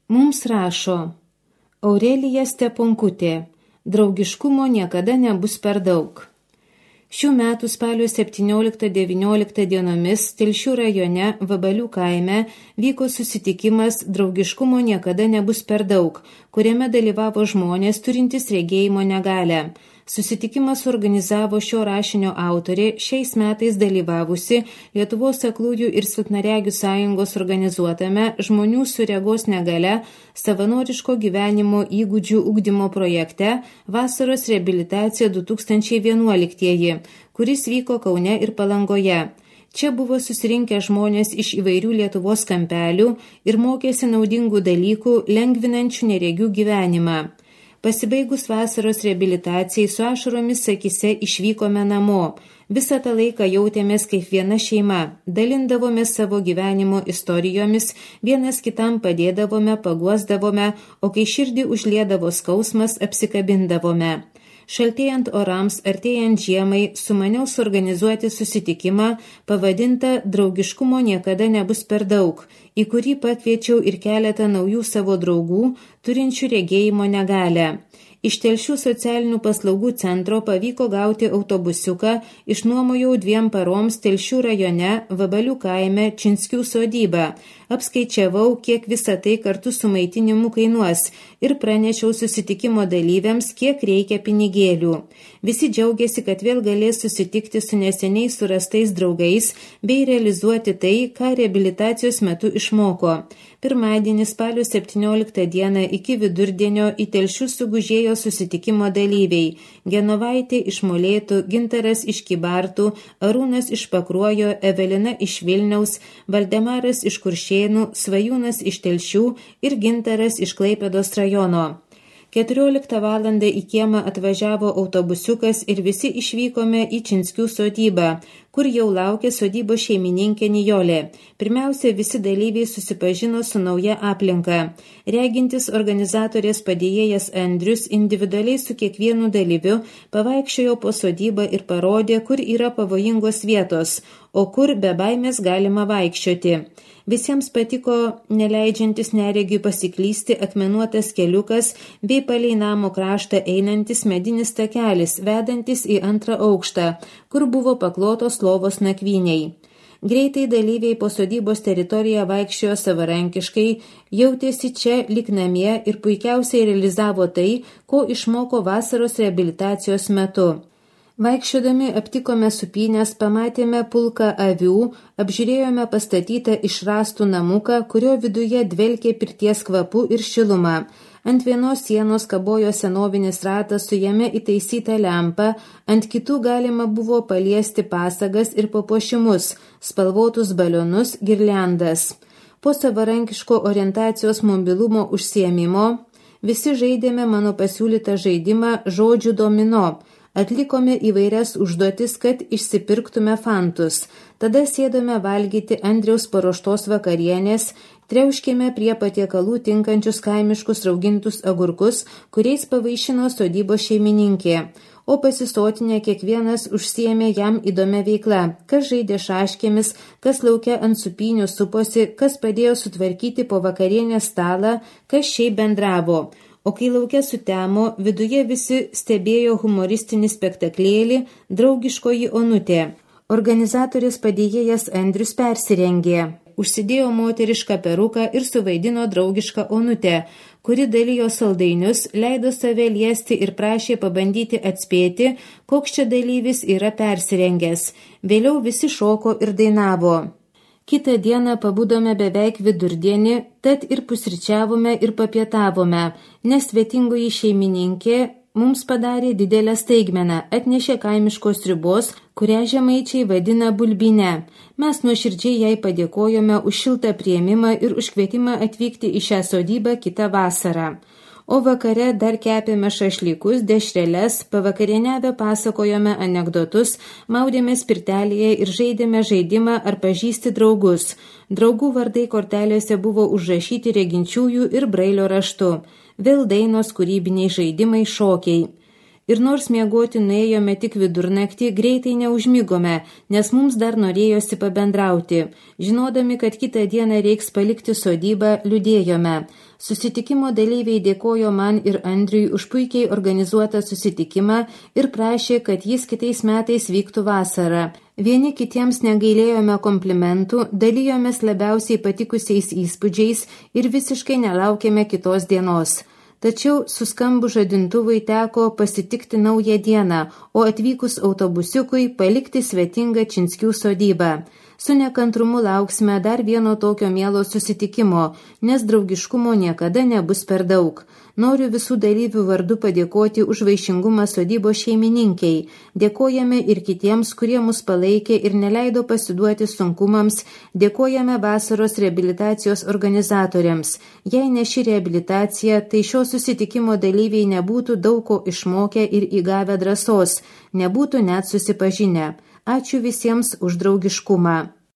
Mums rašo Aurelija Steponkutė, draugiškumo niekada nebus per daug. Šių metų spalio 17-19 dienomis Telšių rajone Vabalių kaime vyko susitikimas Draugiškumo niekada nebus per daug, kuriame dalyvavo žmonės turintys regėjimo negalią. Susitikimą suorganizavo šio rašinio autorė, šiais metais dalyvavusi Lietuvos aklųjų ir silpnaregių sąjungos organizuotame žmonių su regos negalia savanoriško gyvenimo įgūdžių ugdymo projekte Vasaros reabilitacija 2011, kuris vyko Kaune ir Palangoje. Čia buvo susirinkę žmonės iš įvairių Lietuvos kampelių ir mokėsi naudingų dalykų, lengvinančių neregių gyvenimą. Pasibaigus vasaros reabilitacijai su ašaromis akyse išvykome namo. Visą tą laiką jautėmės kaip viena šeima, dalindavome savo gyvenimo istorijomis, vienas kitam padėdavome, paguosdavome, o kai širdį užliedavo skausmas, apsikabindavome. Šaltėjant orams, artėjant žiemai, sumaniau suorganizuoti susitikimą, pavadintą Draugiškumo niekada nebus per daug, į kurį pakviečiau ir keletą naujų savo draugų, turinčių regėjimo negalią. Iš Telšių socialinių paslaugų centro pavyko gauti autobusiuką, išnuomojau 2 paroms Telšių rajone Vabalių kaime Činskių sodybą. Apskaičiavau, kiek visą tai kartu su maitinimu kainuos ir pranešiau susitikimo dalyviams, kiek reikia pinigėlių. Visi džiaugiasi, kad vėl galės susitikti su neseniai surastais draugais bei realizuoti tai, ką reabilitacijos metu išmoko. Pirmadienį spalio 17 dieną iki vidurdienio į Telšius sugužėjo susitikimo dalyviai – Genovaitė iš Molėtų, Gintaras iš Kybartų, Arūnas iš Pakruojo, Evelina iš Vilniaus, Valdemaras iš Kuršėnų, Svajūnas iš Telšių ir Gintaras iš Klaipėdos rajono. 14 valandą į kiemą atvažiavo autobusiukas ir visi išvykome į Činskių sodybą, kur jau laukė sodybos šeimininkė Nijolė. Pirmiausia, visi dalyviai susipažino su nauja aplinka. Regintis organizatorės padėjėjas Andrius individualiai su kiekvienu dalyviu pavaikščiojo po sodybą ir parodė, kur yra pavojingos vietos, o kur be baimės galima vaikščioti. Visiems patiko neleidžiantis neregiui pasiklysti akmenuotas keliukas bei palei namo kraštą einantis medinis takelis, vedantis į 2 aukštą, kur buvo paklotos lovos nakvyniai. Greitai dalyviai po sodybos teritoriją vaikščiojo savarankiškai, jautėsi čia lyg namie ir puikiausiai realizavo tai, ko išmoko vasaros reabilitacijos metu. Vaikščiodami aptikome supynės, pamatėme pulką avių, apžiūrėjome pastatytą iš rąstų namuką, kurio viduje dvelkė pirties kvapu ir šilumą. Ant vienos sienos kabojo senovinis ratas su jame įtaisyta lempa, ant kitų galima buvo paliesti pasagas ir papuošimus, spalvotus balionus, girliandas. Po savarankiško orientacijos mobilumo užsiėmimo visi žaidėme mano pasiūlytą žaidimą žodžių domino. Atlikome įvairias užduotis, kad išsipirktume fantus. Tada sėdome valgyti Andriaus paruoštos vakarienės, triauškėme prie patiekalų tinkančius kaimiškus raugintus agurkus, kuriais pavaišino sodybos šeimininkė. O pasisotinę kiekvienas užsiėmė jam įdomią veiklą, kas žaidė šaškėmis, kas lauke ant supynių suposi, kas padėjo sutvarkyti po vakarienės stalą, kas šiaip bendravo. O kai lauke sutemo, viduje visi stebėjo humoristinį spektaklėlį Draugiškoji onutė. Organizatorės padėjėjas Andrius persirengė. Užsidėjo moterišką peruką ir suvaidino draugišką onutę, kuri dalijo saldainius, leido save liesti ir prašė pabandyti atspėti, koks čia dalyvis yra persirengęs. Vėliau visi šoko ir dainavo. Kitą dieną pabudome beveik vidurdienį, tad ir pusryčiavome ir papietavome, nes svetingoji šeimininkė mums padarė didelę staigmeną, atnešė kaimiškos sriubos, kurią žemaičiai vadina bulbine. Mes nuoširdžiai jai padėkojome už šiltą priėmimą ir už kvietimą atvykti į šią sodybą kitą vasarą. O vakare dar kepėme šašlykus, dešreles, pavakarieniavę pasakojome anekdotus, maudėmės pirtelėje ir žaidėme žaidimą ar pažįsti draugus. Draugų vardai kortelėse buvo užrašyti reginčiųjų ir brailio raštu. Vėl dainos, kūrybiniai žaidimai, šokiai. Ir nors miegoti nuėjome tik vidurnaktį, greitai neužmigome, nes mums dar norėjosi pabendrauti. Žinodami, kad kitą dieną reiks palikti sodybą, liūdėjome. Susitikimo dalyviai dėkojo man ir Andriui už puikiai organizuotą susitikimą ir prašė, kad jis kitais metais vyktų vasarą. Vieni kitiems negailėjome komplimentų, dalijomės labiausiai patikusiais įspūdžiais ir visiškai nelaukėme kitos dienos. Tačiau suskambu žadintuvui teko pasitikti naują dieną, o atvykus autobusiukui palikti svetingą Činskių sodybą. Su nekantrumu lauksime dar vieno tokio mielo susitikimo, nes draugiškumo niekada nebus per daug. Noriu visų dalyvių vardu padėkoti už vaišingumą sodybos šeimininkiai. Dėkojame ir kitiems, kurie mus palaikė ir neleido pasiduoti sunkumams. Dėkojame vasaros reabilitacijos organizatoriams. Jei ne ši reabilitacija, tai šio susitikimo dalyviai nebūtų daug ko išmokę ir įgavę drąsos, nebūtų net susipažinę. Ačiū visiems už draugiškumą.